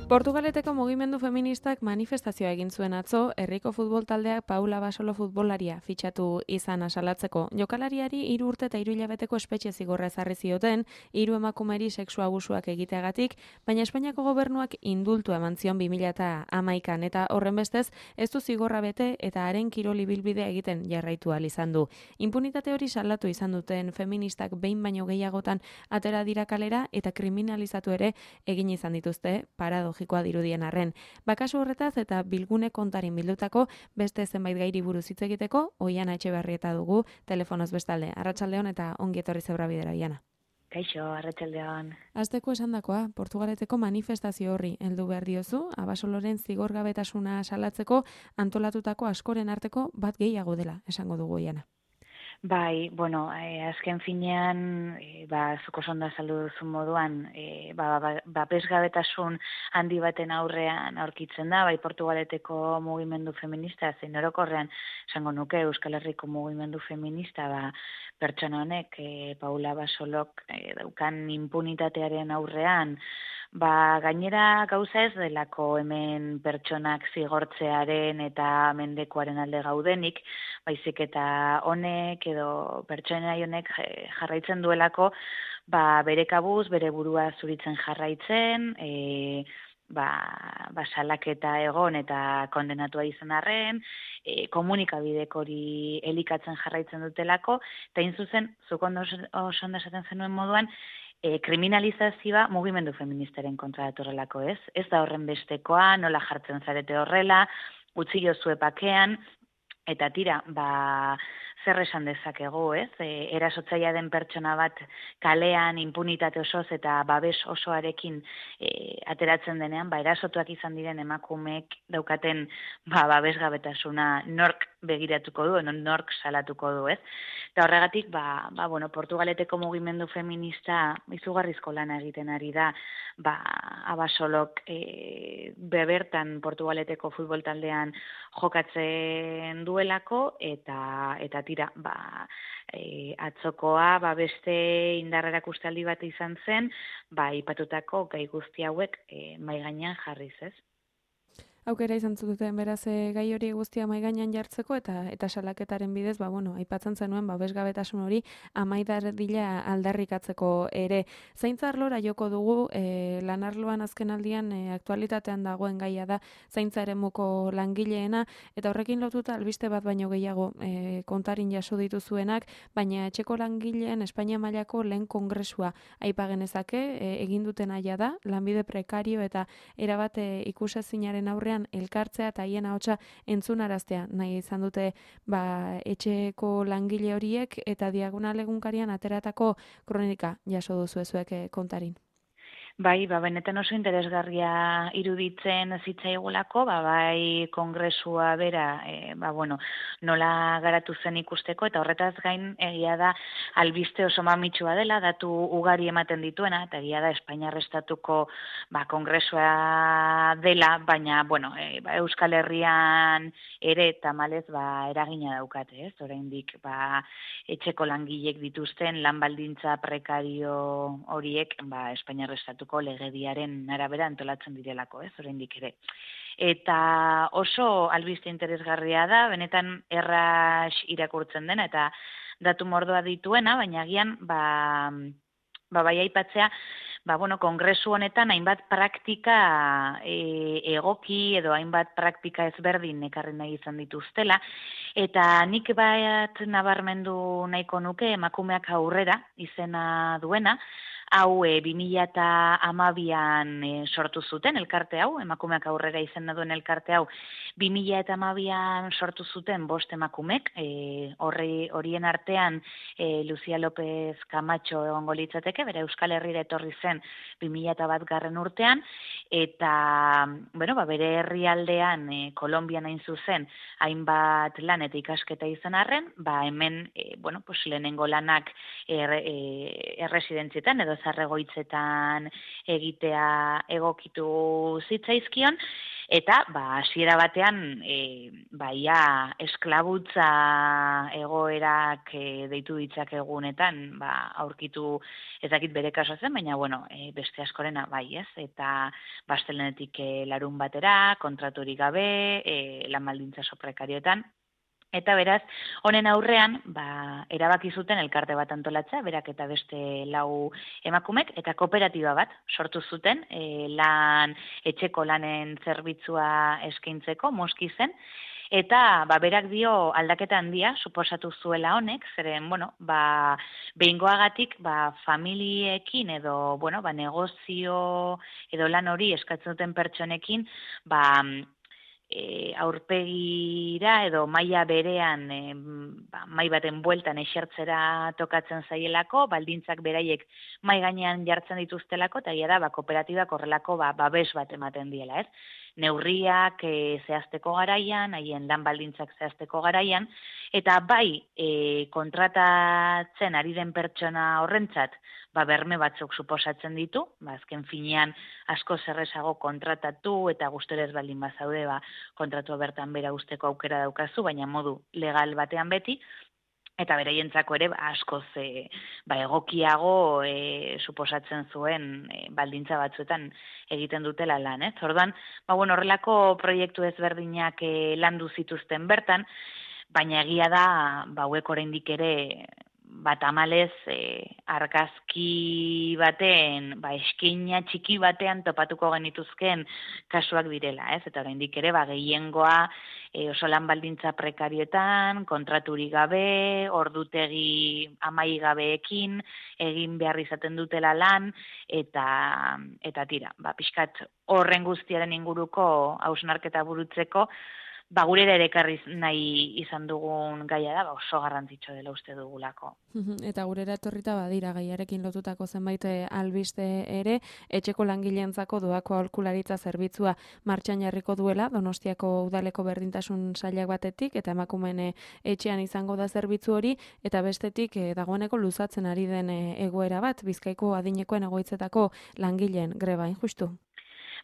Portugaleteko mugimendu feministak manifestazioa egin zuen atzo, herriko futbol taldeak Paula Basolo futbolaria fitxatu izan asalatzeko. Jokalariari 3 urte eta 3 hilabeteko espetxe zigorra ezarri zioten, 3 emakumeri sexu abusuak egiteagatik, baina Espainiako gobernuak indultu eman zion 2011an eta horrenbestez ez du zigorra bete eta haren kirol ibilbidea egiten jarraitu ahal izan du. Impunitate hori salatu izan duten feministak behin baino gehiagotan atera dira kalera eta kriminalizatu ere egin izan dituzte paradogikoa dirudien arren. Bakasu horretaz eta bilgune kontarin bildutako beste zenbait gairi buruz hitz egiteko Oiana Etxeberrieta dugu telefonoz bestalde. Arratsaldeon eta ongi etorri Zebra Bidera, Oiana. Kaixo, arratsaldeon. Hasteko esandakoa, Portugaleteko manifestazio horri heldu behar diozu, Abasoloren zigorgabetasuna salatzeko antolatutako askoren arteko bat gehiago dela, esango dugu Oiana. Bai, bueno, azken finean, zuk oso ondo azaldu duzun moduan, babesgabetasun handi baten aurrean aurkitzen da, bai Portugaleteko mugimendu feminista, zein orokorrean, esango nuke Euskal Herriko mugimendu feminista, pertsona honek, Paula Basolok daukan impunitatearen aurrean, gainera gauza ez delako hemen pertsonak zigortzearen eta mendekuaren alde gaudenik, baizik eta honek edo pertsona honek jarraitzen duelako, bere kabuz, bere burua zuritzen jarraitzen, salaketa egon eta kondenatua izan arren, komunikabidek hori elikatzen jarraitzen dutelako, eta zuzen, zuk oso ondo esaten zenuen moduan, kriminalizazioa mugimendu feministaren kontra datorrelako, ez? Ez da horren bestekoa, nola jartzen zarete horrela, utzi jozue pakean, eta tira, zer esan dezakegu, ez? Erasotzailea den pertsona bat kalean impunitate osoz eta babes osoarekin ateratzen denean, erasotuak izan diren emakumeek daukaten babesgabetasuna nork begiratuko du, nork salatuko du, ez? Eta horregatik, Portugaleteko mugimendu feminista izugarrizko lana egiten ari da, Abasolok bebertan Portugaleteko futbol taldean jokatzen duelako, eta tira, atzokoa beste indar erakustaldi bat izan zen, aipatutako gai guzti hauek mahai gainean jarriz, ez? Aukera izan zuten beraz gai hori guztia mahai gainean jartzeko eta salaketaren bidez, aipatzen zenuen babesgabetasun hori amaidardila aldarrikatzeko ere. Zaintza arlora joko dugu, lanarloan azken aldian aktualitatean dagoen gaia da zaintza eremuko langileena, eta horrekin lotuta albiste bat baino gehiago kontarin jaso dituzuenak, baina etxeko langileen Espainia mailako lehen kongresua aipa genezake, egin duten aia da, lanbide prekario eta erabat ikusezinaren aurrean elkartzea eta haien ahotsa entzunaraztea nahi izan dute etxeko langile horiek eta Diagonal egunkarian ateratako kronika jaso duzu zuek kontarin. Benetan oso interesgarria iruditzen zitzaigulako, bai kongresua bera, nola garatu zen ikusteko, eta horretaz gain egia da albiste oso mamitsua dela, datu ugari ematen dituena, eta egia da Espainiar Estatuko kongresua dela, baina, Euskal Herrian ere tamalez eragina daukate, ez? Oraindik etxeko langilek dituzten lan baldintza prekario horiek Espainiar Estatuko legediaren arabera antolatzen direlako, ez, oraindik ere. Eta oso albiste interesgarria da, benetan erraz irakurtzen dena, eta datu mordoa dituena, baina agian, bai aipatzea, kongresu honetan hainbat praktika egoki edo hainbat praktika ezberdin ekarri nahi izan dituztela, eta nik bat nabarmendu nahiko nuke emakumeak aurrera izena duena, hau 2012an sortu zuten elkarte hau, emakumeak aurrera izena duen elkarte hau, 2012an sortu zuten 5 emakumek, horien artean Lucia López Camacho egongo litzateke, bere Euskal Herrira etorri zen 2001 urtean, eta bere herrialdean Kolonbian hain zuzen hainbat lan eta ikasketa izan arren, hemen lehenengo lanak erresidentzietan edo zarregoitzetan egitea egokitu zitzaizkion, eta hasiera batean ia esklabutza egoerak deitu ditzakegunetan aurkitu ez dakit bere kaso zen, baina beste askorena bai, ez? Eta astelehenetik larun batera, kontraturik gabe, lan baldintza oso prekarioetan. Eta beraz, honen aurrean, erabaki zuten elkarte bat antolatzea, berak eta beste 4 emakumek, eta kooperatiba bat sortu zuten, etxeko lanen zerbitzua eskaintzeko, Moskizen, eta berak dio aldaketa handia suposatu zuela honek, zeren, behingoagatik familiekin edo, negozio edo lan hori eskatzen duten pertsonekin, aurpegira edo maila berean mai baten bueltan esertzera tokatzen zaielako, baldintzak beraiek mai gainean jartzen dituztelako, eta egia da kooperatibak horrelako babes bat ematen diela, ez? Neurriak zehazteko garaian, haien lan baldintzak zehazteko garaian, eta kontratatzen ari den pertsona horrentzat, berme batzuk suposatzen ditu, azken finean asko zerrezago kontratatu eta gustorez baldin bazaude kontratua bertan bera usteko aukera daukazu, baina modu legal batean beti, eta beraientzako ere askoz egokiago suposatzen zuen baldintza batzuetan egiten dutela lan, ez? Orduan, horrelako proiektu ezberdinak landu zituzten bertan, baina egia da, hauek oraindik ere tamalez argazki baten, eskaina txiki batean topatuko genituzken kasuak direla, ez? Eta oraindik ere gehiengoa oso lan baldintza prekarietan, kontraturik gabe, ordutegi amaigabeekin egin behar izaten dutela lan, eta tira, pixkat horren guztiaren inguruko hausnarketa burutzeko, gurera ere ekarri nahi izan dugun gaia da, oso garrantzitsu dela uste dugulako. Eta gurera etorrita badira gaiarekin lotutako zenbait albiste ere, etxeko langileentzako doako aholkularitza zerbitzua martxan jarriko duela, Donostiako udaleko berdintasun sailak batetik, eta emakumeen etxean izango da zerbitzu hori, eta bestetik dagoeneko luzatzen ari den egoera bat, Bizkaiko adinekoen egoitzetako langileen greba, justu?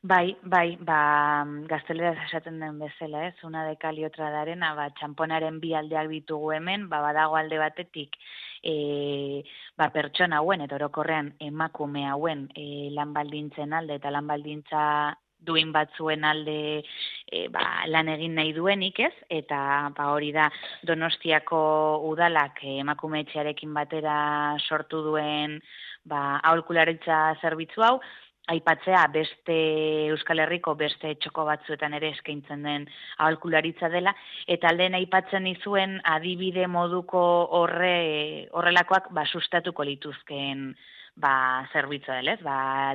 Bai, gazteleraz esaten den bezala, ez? Una de cal y otra de arena, txamponaren 2 aldeak ditugu hemen, badago alde batetik, pertsona hauen, eta orokorrean emakume hauen lan baldintzen alde, eta lan baldintza duin batzuen alde lan egin nahi duenik, ez? Eta hori da Donostiako udalak emakume etxearekin batera sortu duen aholkularitza zerbitzu hau, aipatzea beste Euskal Herriko beste txoko batzuetan ere eskaintzen den aholkularitza dela, eta alden aipatzen izuen adibide moduko horrelakoak sustatuko lituzkeen zerbitzua dela, ez?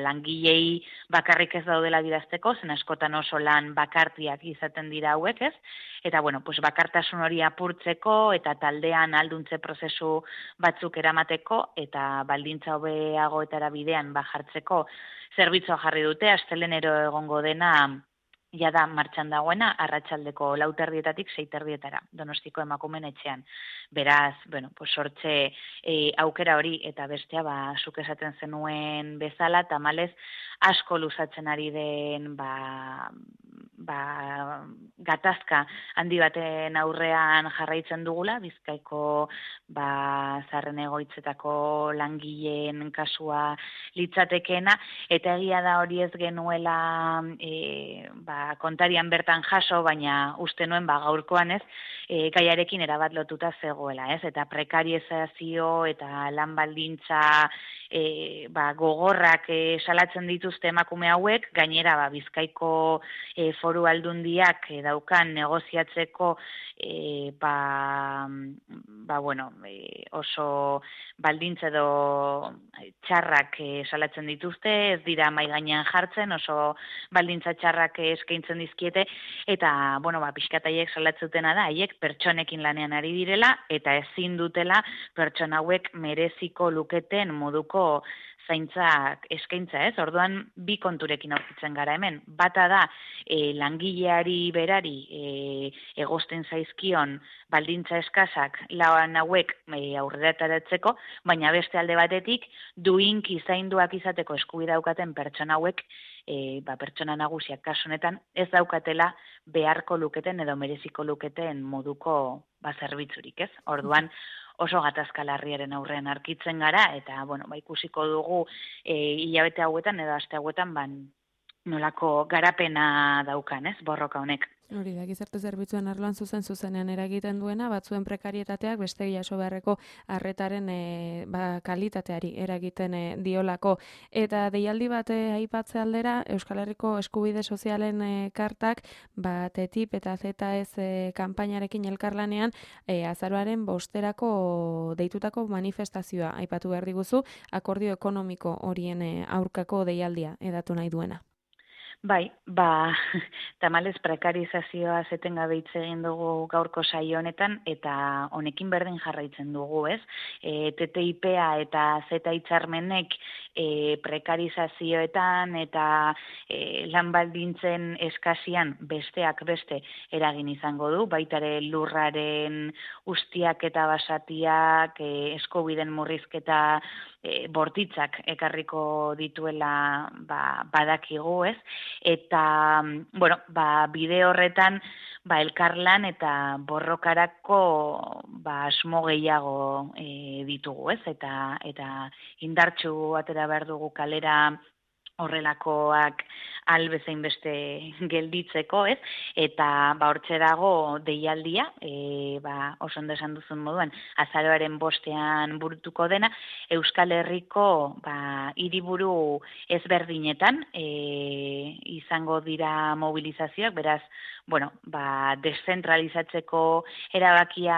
Langilei bakarrik ez daudela bidazteko, zen askotan oso lan bakartiak izaten dira hauek, ez? Eta, bakartasun hori apurtzeko eta taldean alduntze prozesu batzuk eramateko eta baldintza hobeagoetara bidean jartzeko zerbitzua jarri dute, astelenero egongo dena jada martxan dagoena, arratsaldeko 4:00 6:00 Donostiko emakumeen etxean. Beraz, sortze aukera hori eta bestea, zuk esaten zenuen bezala, tamalez asko luzatzen ari den gatazka handi baten aurrean jarraitzen dugula, Bizkaiko zaharren egoitzetako langileen kasua litzatekeena, eta egia da hori ez genuela kontarian bertan jaso, baina uste nuen gaurkoan ez, gaiarekin erabat lotuta zegoela, ez? Eta prekarizazio eta lan baldintza gogorrak salatzen dituzte emakume hauek, gainera Bizkaiko foru aldundiak daukan negoziatzeko oso baldintza edo txarrak salatzen dituzte, ez dira mahai gainean jartzen, oso baldintza txarrak eskaintzen dizkiete, eta pixkat haiek salatzutena da, haiek pertsonekin lanean ari direla, eta ezin dutela pertsona hauek mereziko luketen moduko zaintzak eskaintza, ez? Orduan bi konturekin aurkitzen gara hemen. Bata da langileari berari egosten zaizkion baldintza eskasak lan hauek aurrerataratzeko, baina beste alde batetik duinki zainduak izateko eskubidea daukaten pertsona hauek pertsona nagusiak kasu honetan ez daukatela beharko luketen edo mereziko luketen moduko zerbitzurik, ez? Orduan oso gatazka larriaren aurrean arkitzen gara eta ikusiko dugu hilabete hauetan edo aste hauetan nolako garapena daukan, ez? Borroka honek. Hori da, gizarte zerbitzuen arloan zuzenean eragiten duena, batzuen prekarietateak beste jaso beharreko arretaren kalitateari eragiten diolako. Eta deialdi bat aipatze aldera, Euskal Herriko Eskubide Sozialen kartak, TTIP eta ZS kanpainarekin elkarlanean, azaroaren 5erako deitutako manifestazioa aipatu behar diguzu, akordio ekonomiko horien aurkako deialdia edatu nahi duena. Bai, tamalez prekarizazioa etengabe hitz egin dugu gaurko saio honetan eta honekin berdin jarraitzen dugu, ez? TTIP-a eta Z hitzarmenek prekarizazioetan eta lan baldintzen eskasian besteak beste eragin izango du, baitare lurraren ustiak eta basatiak, eskubideen murrizketa bortitzak ekarriko dituela badakigu, ez? Eta, bide horretan, elkarlan eta borrokarako asmo gehiago ditugu, ez? Eta indartsu atera behar dugu kalera horrelakoak albezain beste gelditzeko, ez? Eta hortxe dago deialdia, oso ondo esan duzun moduan, azaroaren 5ean burutuko dena, Euskal Herriko hiriburu ezberdinetan izango dira mobilizazioak, beraz, deszentralizatzeko erabakia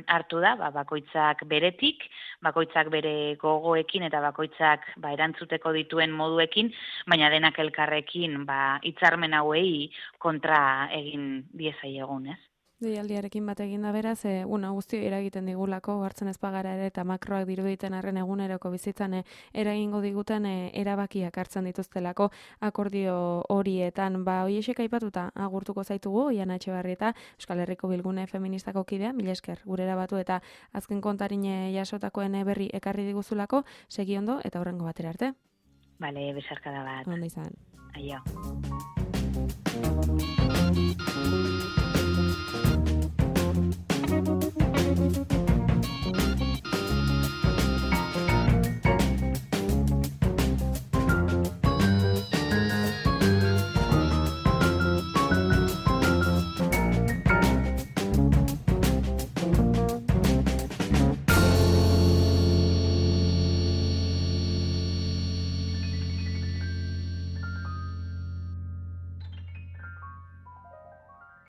hartu da, bakoitzak beretik, bakoitzak bere gogoekin eta bakoitzak erantzuteko dituen moduekin, baina denak elkarrekin hitzarmen hauei kontra egin diezaiegun, ez? Deialdiarekin bat egin da beraz, guzti eragiten digulako, hartzen ez bagara ere eta makroak diruditen arren eguneroko bizitzan eragingo diguten erabakiak hartzen dituztelako akordio horietan. Hoiexek aipatuta agurtuko zaitugu, Iana Etxebarrieta, Euskal Herriko Bilgune Feministako kidea, mila esker gurera batu eta azken kontarine jasotakoen berri ekarri diguzulako, segi ondo eta hurrengo batera arte. Bale, besarkada bat. Ondo izan. Aio. Thank you.